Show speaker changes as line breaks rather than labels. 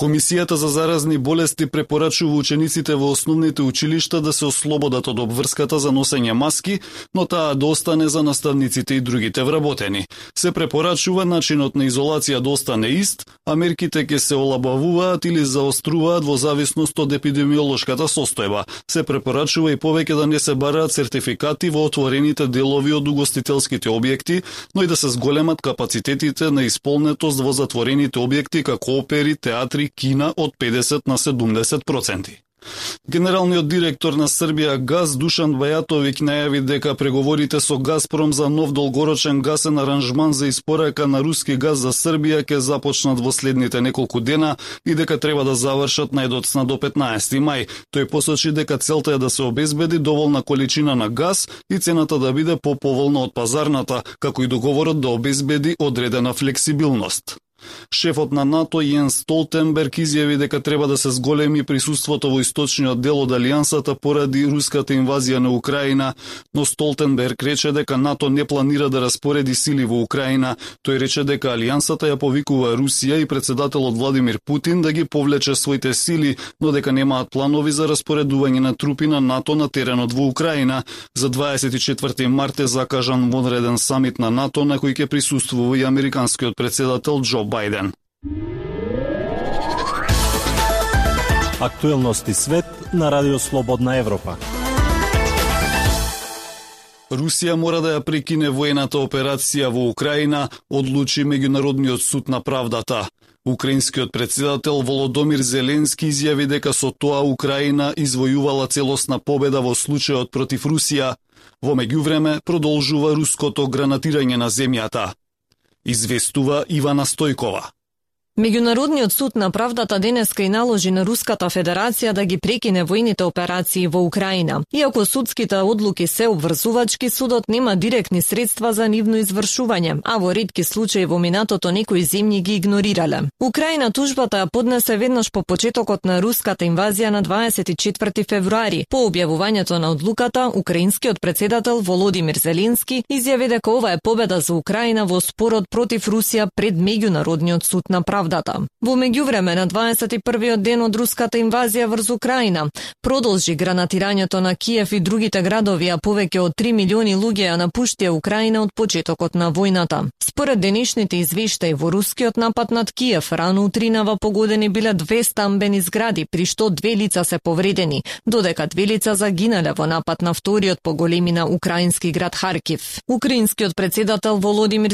Комисијата за заразни болести препорачува учениците во основните училишта да се ослободат од обврската за носење маски, но таа да остане за наставниците и другите вработени. Се препорачува начинот на изолација да остане ист, а мерките ќе се олабавуваат или заоструваат во зависност од епидемиолошката состојба. Се препорачува и повеќе да не се бараат сертификати во отворените делови од угостителските објекти, но и да се зголемат капацитетите на исполнетост во затворените објекти како опери, театри, кина од 50 на 70%. Генералниот директор на Србија Газ Душан Бајатовиќ најави дека преговорите со Газпром за нов долгорочен гасен аранжман за испорака на руски газ за Србија ќе започнат во следните неколку дена и дека треба да завршат најдоцна до 15 мај. Тој посочи дека целта е да се обезбеди доволна количина на газ и цената да биде поповолна од пазарната, како и договорот да обезбеди одредена флексибилност. Шефот на НАТО Јенс Столтенберг изјави дека треба да се зголеми присуството во источниот дел од алијансата поради руската инвазија на Украина, но Столтенберг рече дека НАТО не планира да распореди сили во Украина. Тој рече дека алијансата ја повикува Русија и председателот Владимир Путин да ги повлече своите сили, но дека немаат планови за распоредување на трупи на НАТО на теренот во Украина. За 24 март е закажан вонреден самит на НАТО на кој ќе присуствува и американскиот председател Џо Бајден.
Актуелности свет на Радио Слободна Европа.
Русија мора да ја прекине воената операција во Украина, одлучи Меѓународниот суд на правдата. Украинскиот председател Володомир Зеленски изјави дека со тоа Украина извојувала целосна победа во случајот против Русија. Во меѓувреме продолжува руското гранатирање на земјата. Известува Ивана Стојкова.
Меѓународниот суд на правдата денеска и наложи на Руската Федерација да ги прекине војните операции во Украина. Иако судските одлуки се обврзувачки, судот нема директни средства за нивно извршување, а во ретки случаи во минатото некои земји ги игнорирале. Украина тужбата ја поднесе веднаш по почетокот на руската инвазија на 24 февруари. По објавувањето на одлуката, украинскиот председател Володимир Зеленски изјави дека ова е победа за Украина во спорот против Русија пред Меѓународниот суд на правдата. Во меѓувреме на 21-иот ден од руската инвазија врз Украина продолжи гранатирањето на Киев и другите градови, а повеќе од 3 милиони луѓе ја напуштија Украина од почетокот на војната. Според денешните извештаи, во рускиот напад над Киев рано утринава погодени биле 2 стамбени згради, при што 2 лица се повредени, додека 2 лица загинале во напад на вториот по големина украински град Харкив. Украинскиот председател Володимир